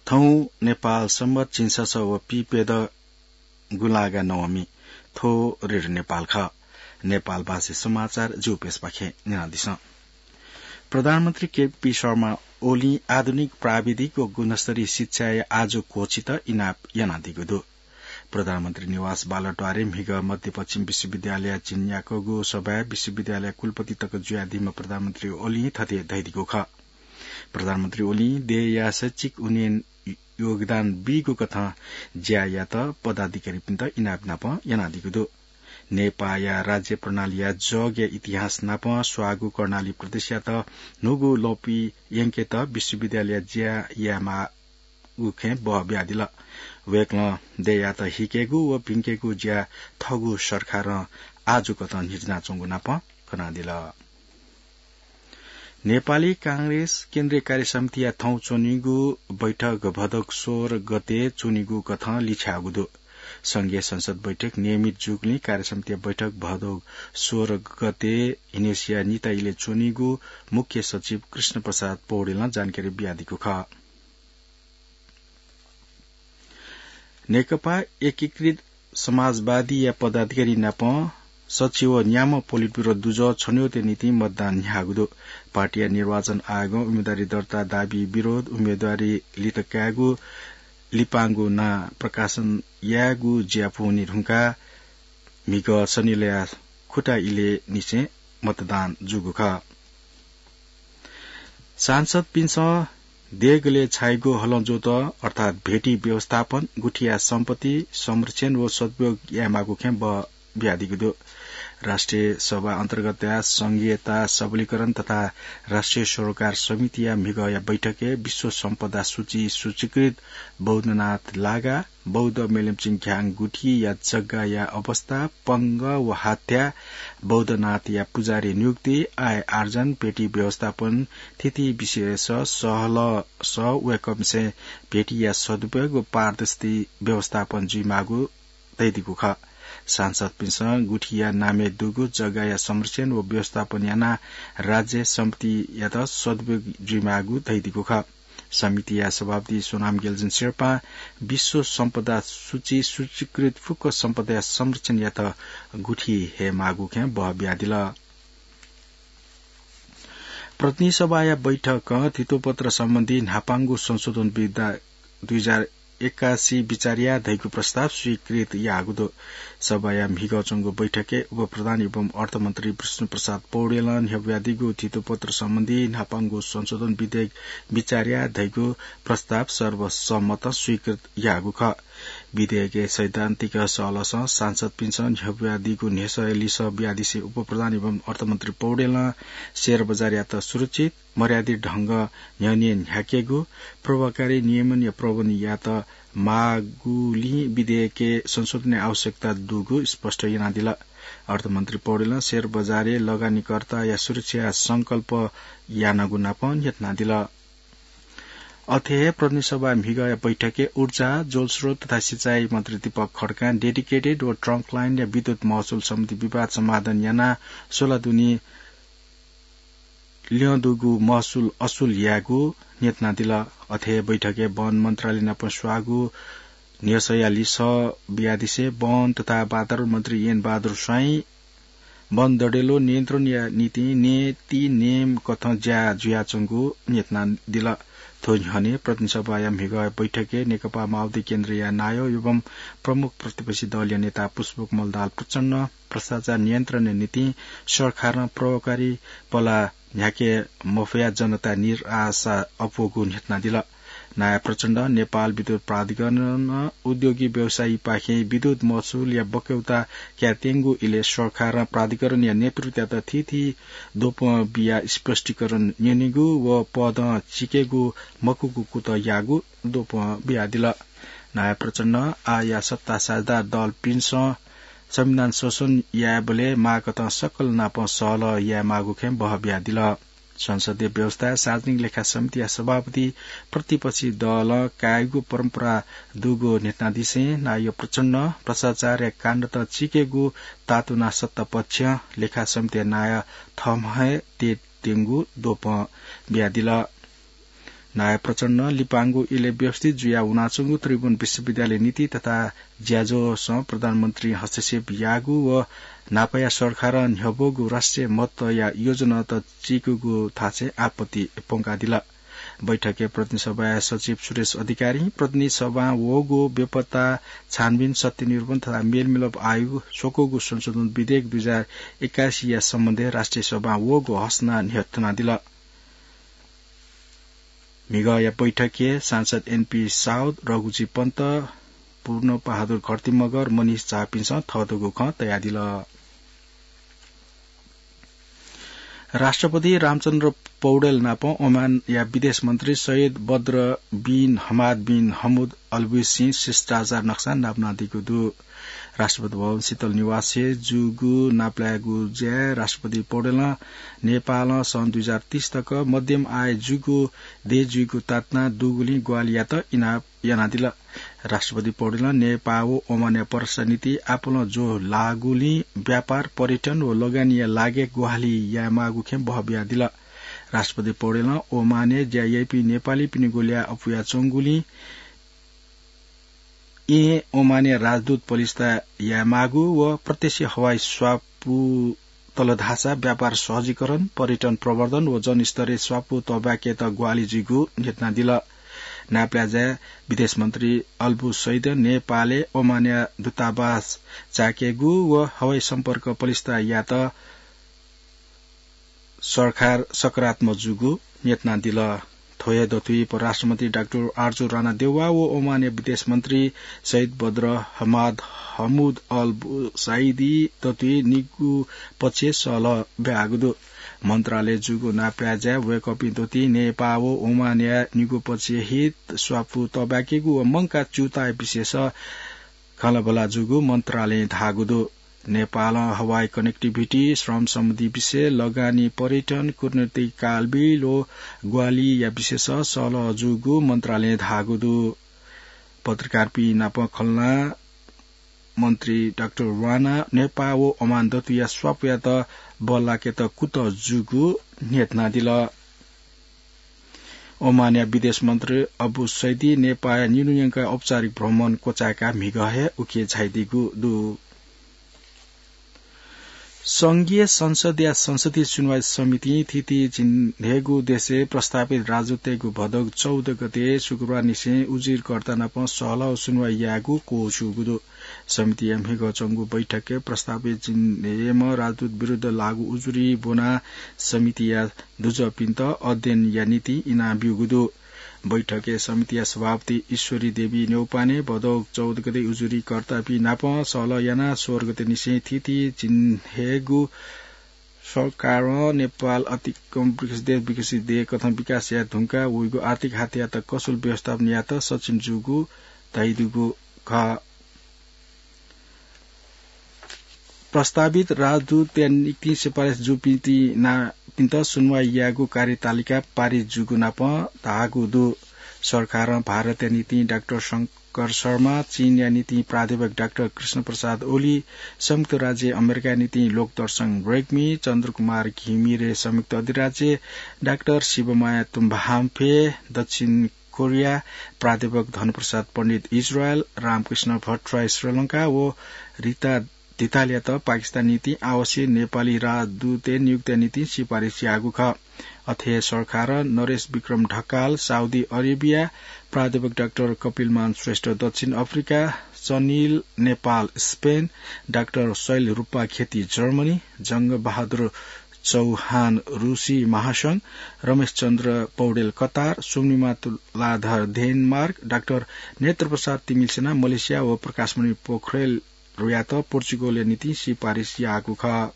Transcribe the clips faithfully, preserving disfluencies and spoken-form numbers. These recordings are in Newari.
थौं नेपाल संवत् झिंछसः व पीप्यदँ गुंलागा नवमी। थ्व रेडियो नेपाल खः। नेपाल भाषी समाचार जिगु प्रेसपाखें न्यनादिसँ। प्रधानमन्त्री केपी शर्मा ओलीं आधुनिक प्राविधिक व गुणस्तरीय शिक्षाया आजु क्वःछित इनाप यानादीगु दु। प्रधानमन्त्री निवास बालद्वारे म्हिगः मध्यपश्चिम विश्वविद्यालय झिंन्याक्वःगु सभाय् विश्वविद्यालय कुलपति तक जुयादीम्ह प्रधानमन्त्री ओलीं थथे धयादीगु खः। प्रधानमन्त्री ओलीं देय्‌या शैक्षिक उन्नयन योगदान बीगु कथं ज्या यात पदाधिकारीपिन्त इनाप नाप यानादीगु दु। नेपाःया राज्य प्रणालीया जगया इतिहास नाप स्वाःगु कर्णाली प्रदेशयात न्हूगु ल्वपु यंकेत विश्वविद्यालय ज्या यायेमाःगु खँय् बः बियादिल। वय्‌कलं देय्‌यात हिकेगु व भिंकेगु ज्या थःगु सरकारं आजु कथं न्ह्यचिनाच्वंगु नाप कनादिल। नेपाली कांग्रेस केन्द्रीय कार्य समितिया थौं च्वनीगु बैठक भदौ सोह्र गते च्वनीगु कथं लिछ्याःगु दु। संघीय संसद बैठक नियमित जूगुलिं कार्य समितिया बैठक भदौ सोह्र गते हिनेसिया निता इलय् च्वनीगु मुख्य सचिव कृष्ण प्रसाद पौडेलं जानकारी बियादीगु खः। नेकपा एकीकृत समाजवादीया पदाधिकारी नाप सच्छि व न्याम्ह पोलिट ब्युरो दुजः छनौटया निंतिं मतदान न्ह्याःगु दु। पार्टीया निर्वाचन आयोगं उम्मेदवारी दर्ता, दाबी विरोध, उम्मेदवारी लित कायेगु, लिपांगु नां प्रकाशन यायेगु ज्या पूवनी धुंकाः म्हिगः शनिलया खुटा इलय् निसें मतदान जूगु खः। सांसदपिन्सं देगलय् छाइगु हलं ज्वःत अर्थात् भेटी व्यवस्थापन, गुथिया सम्पत्ति संरक्षण व सदुपयोग यायेमाःगु खँय् बः बियादीगु दु। राष्ट्रिय सभा अन्तर्गतया संघीयता सबलीकरण तथा राष्ट्रिय सरोकार समितिया म्हिगःया बैठकय् विश्व सम्पदा सूची सूचीकृत बौद्धनाथ लागा, बौद्ध मेलम्चिङ घ्याङ गुथिया जग्गाया अवस्था, पंगः व हात्या, बौद्धनाथया पुजारी नियुक्ति, आय आर्जन, भेटी व्यवस्थापन, थीथी विषयस सहलस वय्‌कःपिन्सं भेटीया सदुपयोग व पारदर्शी व्यवस्थापन जुइमाःगु धयादीगु खः। सांसदपिन्सं गुथिया नामय् दुगु जग्गाया संरक्षण व व्यवस्थापन यानाः राज्य सम्पत्तियात सदुपयोग जुइमाःगु धयादीगु खः। समितिया सभापति सोनाम गेलजन शेर्पां विश्व सम्पदा सूची सूचीकृत फुक्क सम्पदाया संरक्षण यात गुथि हयेमाःगु खँय् बः बियादिल। प्रतिनिधि सभाया बैठकं धितोपत्र सम्बन्धी न्हापांगु संशोधन विधेयक दुई हजार एकासी बिचार याये धइगु प्रस्ताव स्वीकृत याःगु दु। सभाया म्हिगः च्वंगु बैठकय् उपप्रधान एवं अर्थमन्त्री विष्णु प्रसाद पौडेलं न्ह्यब्वयादीगु धितोपत्र सम्बन्धी न्हापांगु संशोधन विधेयक बिचार याये धइगु प्रस्ताव सर्वसम्मतं स्वीकृत याःगु खः। विधेयकय् सैद्धान्तिक सहलसं सांसदपिन्सं न्ह्यब्वयादीगु न्ह्यसःया लिसः बियादिसें उपप्रधान एवं अर्थमन्त्री पौडेलं शेयर बजारयात सुरक्षित, मर्यादित ढंगं न्ह्यःने न्ह्याकेगु, प्रभावकारी नियमनया प्रबन्ध यायेत माःगुलिं विधेयकय् संशोधनया आवश्यकता दुगु स्पष्ट यानादिल। अर्थमन्त्री पौडेलं शेयर बजारय् लगानीकर्ताया सुरक्षाया संकल्प यानागु नाप न्ह्यथनादिल। अथे हे प्रतिनिधि सभा म्हिगःया बैठकय् ऊर्जा, जलस्रोत तथा सिँचाइ मन्त्री दीपक खड्कां dedicated व trunk line या विद्युत महसुल सम्बन्धी विवाद समाधान यानाः सोह्र दुने ल्यं दुगु महसुल असुल यायेगु न्ह्यथनादिल। अथे हे बैठकय् वन मन्त्रालय नाप स्वाःगु न्ह्यसःया लिसः बियादिसें वन तथा वातावरण मन्त्री एन बहादुर स्वाइं वन दँडेलो नियन्त्रणया निंतिं नीति नियम कथं ज्या जुयाच्वंगु न्ह्यथनादिल। थ्व न्ह्यःने प्रतिनिधि सभाया म्हिगः बैठकय् नेकपा माओवादी केन्द्रया नायः एवं प्रमुख प्रतिपक्षी दलया नेता पुष्पकमल दाहाल प्रचण्डं भ्रष्टाचार नियन्त्रणया निंतिं सरकारं प्रभावकारी पला न्ह्याके मफयाः जनता निराशा अप्वःगु न्ह्यथनादिल। नायः प्रचण्डं नेपाल विद्युत प्राधिकरणं उद्योगी व्यवसायीपाखें विद्युत महसुलया बक्यौता कायेत्यंगु इलय् सरकारं प्राधिकरणया नेतृत्वयात थीथी द्वपं बियाः स्पष्टीकरण न्यनेगु व पदं चिकेगु मखुगु कुतः याःगु द्वपं बियादिल। नायः प्रचण्डं आःया सत्ता साझेदार दलपिन्सं संविधान संशोधन यायेबलय् माःकथं सकल नाप सहलह यायेमाःगु खँय् बह बियादिल। संसदीय व्यवस्थाय् सार्वजनिक लेखा समितिया सभापति प्रतिपक्षी दलं कायेगु परम्परा दुगु न्ह्यथनादिसें नायः प्रचण्डं भ्रष्टाचारया काण्डत चिकेगु तातुना सत्ता पक्षं लेखा समितिया नायः थम्हं हे तयेत्यंगु द्वपं बियादिल। नायः प्रचण्डं लिपांगु इलय् व्यवस्थित जुयाः वनाच्वंगु त्रिभुवन विश्वविद्यालय नीति तथा ज्याझ्वःसं प्रधानमन्त्रीं हस्तक्षेप याःगु व न्हापाया सरकारं न्ह्यब्वःगु राष्ट्रिय महत्वया योजनात चीकूगु थासय् आपत्ति प्वंकादिल। बैठकय् प्रतिनिधि सभाया सचिव सुरेश अधिकारीं प्रतिनिधि सभां वःगु बेपत्ता छानबिन, सत्य निरूपण तथा मेलमिलाप आयोग स्वकूगु संशोधन विधेयक दुई हजार एकासीया सम्बन्धय् राष्ट्रिय सभां वःगु हसना न्ह्यथनादिल। म्हिगःया बैठकय् सांसद एनपी साउद, रघुजी पन्त, पूर्ण बहादुर घरती मगर, मनिष झापिन्सं थःतःगु खँ तयादिल। राष्ट्रपति रामचन्द्र पौडेल नाप ओमानया विदेश मन्त्री सैयद बद्र बिन हमाद बिन हमुद अल बुसैदीं शिष्टाचार नक्सा नापलानादीगु दु। राष्ट्रपति भवन शीतल निवासय् जूगु नापलायेगु ज्याय् राष्ट्रपति पौडेलं नेपालं सन् दुई हजार तीस तक मध्यम आय जूगु देश जुइगु तातुना दुगुलिं ग्वाहालि यात इनाप यानादिल। राष्ट्रपति पौडेलं नेपाः व ओमानया परराष्ट्र नीति आपालं ज्वः लाःगुलिं व्यापार, पर्यटन व लगानीया लागि ग्वाहालि यायेमाःगु खँय् बहः बियादिल। राष्ट्रपति पौडेलं ओमानय् ज्या याइपिं नेपालीपिनिगु ल्याः अपुयाच्वंगुलिं यें ओमानया राजदूत पलिस्था यायेमाःगु व प्रत्यक्ष हवाई स्वापू तल धाःसा व्यापार सहजीकरण, पर्यटन प्रवर्धन व जनस्तरय् स्वापू तःबाकेत ग्वाहालि जुइगु न्ह्यथनादिल। नापलाये ज्याय् विदेश मन्त्री अल बुसैदीं नेपालय् ओमानया दूतावास चायेकेगु व हवाई सम्पर्क पलिस्था यायेत सरकार सकारात्मक जूगु न्ह्यथनादिल। थ्व हे दथुइ परराष्ट्र मन्त्री डाक्टर आरजु राणा देउवा व ओमानया विदेश मन्त्री सैयद बद्र हमाद हमुद अल बुसैदी दथुइ निगू पक्षय् सहलह ब्याहाःगु दु। मन्त्रालयय् जूगु नापलाये ज्याय् वय्कःपिं दथुइ नेपाः व ओमानया निगू पक्षय् हित, स्वापू तःबाकेगु व मंकाः च्यूताःया विषयस खँल्हाबल्हा जूगु मन्त्रालयं धाःगु दु। नेपालं हवाई connectivity, श्रम सम्बन्धी विषय, लगानी, पर्यटन, कूटनीतिक तालमेल व ग्वाहालिया विषयस सहलह जूगु मन्त्रालयं धाःगु दु। पत्रकारपिं नाप खँल्हाबल्हा मन्त्री डाक्टर राणा नेपाः व ओमान दथुया स्वापूयात बल्लाकेत कुतः जूगु न्ह्यथनादिल। ओमानया विदेश मन्त्री अबु सैदी नेपाःया निन्हु यंकाः औपचारिक भ्रमण क्वचाय्काः म्हिगः हे उखे झायादीगु दु। संघीय संसदया संसदीय सुनवाई समितिं थीथी झिंन्हय्गू देशय् प्रस्तावित राजदूततय्गु भदौ चौध गते शुक्रबार निसें उजुरीकर्ता नाप सहलह सुनवाई यायेगु क्वःछिउगु दु। समितिया म्हिगः च्वंगु बैठकय् प्रस्तावित झिंन्हय्म्ह राजदूत विरुद्ध लाःगु उजुरी ब्वनाः समितिया दुजःपिन्त अध्ययनया निंतिं इनाः ब्यूगु दु। बैठकय् समितिया सभापति ईश्वरी देवी न्यौपाने भदौ चौध गते उजुरीकर्तापिं नाप सहलह यानाः सोह्र गते निसें थीथी झिंन्हय्गू सरकारं नेपाल अतिकं विकसित देश, विकसित देश कथं विकास याये धुंकाः वइगु आर्थिक हाथियात कसूल व्यवस्थापन यायेत सक्षम जूगु धयादीगु खः। प्रस्तावित राजदूतया निंतिं सिफारिस जूपिन्ति ना-, पिन्त सुनवाई यायेगु कार्यतालिका पारित जूगु नाप धाःगु दु। सरकारं भारतया निंतिं डाक्टर शंकर शर्मा, चीनया निंतिं प्राध्यापक डाक्टर कृष्ण प्रसाद ओली, संयुक्त राज्य अमेरिकाया निंतिं लोकदर्शन रेग्मी, चन्द्रकुमार घिमिरे संयुक्त अधिराज्य, डाक्टर शिवमाया तुम्बाहाम्फे दक्षिण कोरिया, प्राध्यापक धनप्रसाद पण्डित इजरायल, रामकृष्ण भट्टराई श्रीलंका व रिता धितालयात पाकिस्तान निंतिं आवश्यक नेपाली राजदूतया नियुक्तिया निंतिं सिफारिस याःगु खः। अथे हे सरकारं नरेश विक्रम ढकाल साउदी अरेबिया, प्राध्यापक डाक्टर कपिलमान श्रेष्ठ दक्षिण अफ्रिका, सनिल नेपाल स्पेन, डाक्टर शैल रूपाखेती जर्मनी, जंगबहादुर चौहान रूसी महासंघ, रमेशचन्द्र पौडेल कतार, सुम्निमा तुलाधर डेनमार्क, डाक्टर नेत्रप्रसाद तिमिल्सिना मलेसिया व प्रकाशमणि पोखरेल रुयात पोर्चुगलया निंतिं सिफारिस याःगु खः।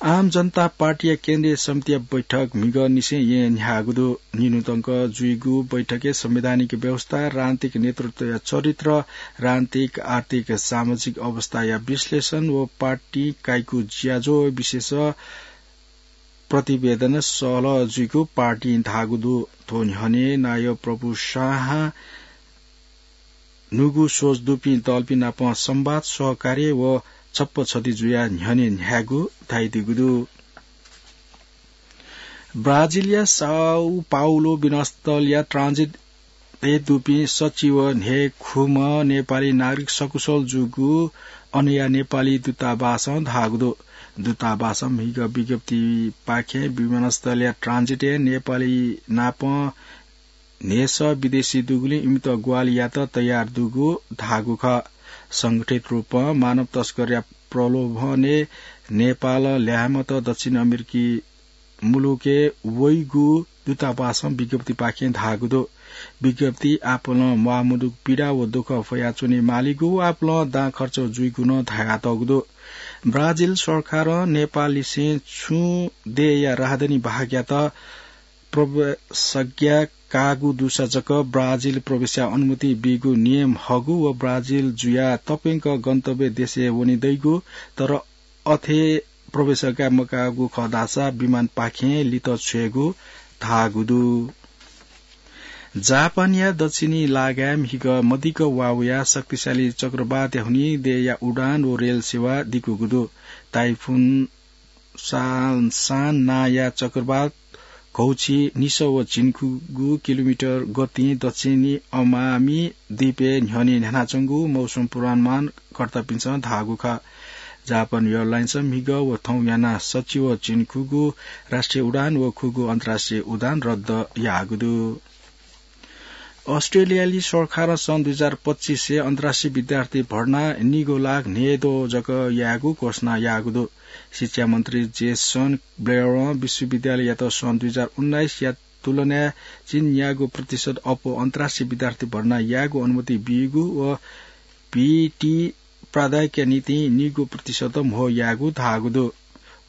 आम जनता पार्टीया केन्द्रीय समितिया बैठक म्हिगः निसें येँ न्ह्याःगु दु। निन्हुतंक जुइगु बैठकय् संवैधानिक व्यवस्था, राजनीतिक नेतृत्वया चरित्र, राजनीतिक, आर्थिक, सामाजिक अवस्थाया विश्लेषण व पार्टी काइगु ज्याझ्वः विषयस प्रतिवेदन सहलह जुइगु पार्टीं धाःगु दु। थ्व न्ह्यःने नायः प्रभु शाहं न्हूगु सोच दुपिं दलपिं नाप संवाद, सहकार्य व छप्पा छधी जुयाः न्ह्यःने न्ह्यायेगु धयादीगु दु। ब्राजिलया साउ पाउलो विमानस्थलया ट्रान्जिट ए दुपिं सचिव न्हे खुम्ह नेपाली नागरिक सकुशल जूगु अनया नेपाली दूतावासं धाःगु दु। दूतावासं म्हिगः विज्ञप्तिपाखें विमानस्थलया ट्रान्जिटय् नेपाली नाप न्हेस विदेशी दुगुलिं इमित ग्वाहालि यात तयार दुगु धाःगु खः। संगठित रूपं मानव तस्करया प्रलोभनय् नेपाल ल्याहामत दक्षिण अमेरिकी मुलुकय् वइगु दूतावासं विज्ञप्तिपाखें धाःगु दु। विज्ञप्ति आपालं म्वाःमदुगु पीडा व दुःख फयाच्वने मालीगु व आपालं दां खर्च जुइगु नं धयातःगु दु। ब्राजिल सरकारं नेपाललिसें छुं देय्‌या राहदानी भागयात प्रवेशाज्ञा काःगु दुसा जक ब्राजिल प्रवेशया अनुमति बीगु नियम हःगु व ब्राजिल जुयाः तप्यंक गन्तव्य देशय् वने दइगु, तर अथे प्रवेशाज्ञा मकाःगु खः धाःसा विमानपाखें लित छ्वयेगु धाःगु दु। जापानया दक्षिणी लागाय् म्हिगः मदिक्क वा वयाः शक्तिशाली चक्रवातया हुनिं देय्‌या उडान व रेल सेवा दिकूगु दु। ताइफुन सान, सान नांया चक्रवात घौछि निसः व झिंखुगू किलोमिटर गतिं दक्षिणी अमामी द्वीपय् न्ह्यःने न्ह्यानाच्वंगु मौसम पूर्वानुमानकर्तापिन्सं धाःगु खः। जापान एयरलाइन्सं म्हिगः व थौं यानाः सच्छि व झिंखुगू राष्ट्रिय उडान व खुगू अन्तर्राष्ट्रिय उडान रद्द याःगु दु। अस्ट्रेलियाली सरकारं सन् दुई हजार पच्चिसय् अन्तर्राष्ट्रिय विद्यार्थी भर्ना निगू लाख न्हय्‌द्वः जक यायेगु घोषणा याःगु दु। शिक्षा मन्त्री जेसन ब्लेयरं विश्वविद्यालययात सन् दुई हजार उन्नाइसया तुलनाय् झिंन्यागू प्रतिशत अप्वः अन्तर्राष्ट्रिय विद्यार्थी भर्ना यायेगु अनुमति बीगु व भीटी प्राध्यापकया निंतिं निगू प्रतिशत म्हो यायेगु धाःगु दु।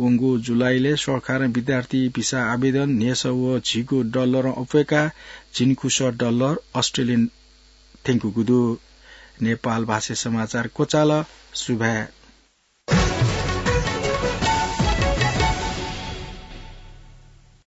वंगु जुलाईलय् सरकारं विद्यार्थी भिसा आवेदन न्हय्‌सः व झिगू डलरं अप्वय्‌काः झिंखुसः डलर अस्ट्रेलियन थ्यंकूगु दु। नेपाल भाषाय् समाचार क्वचाल। सुभाय्।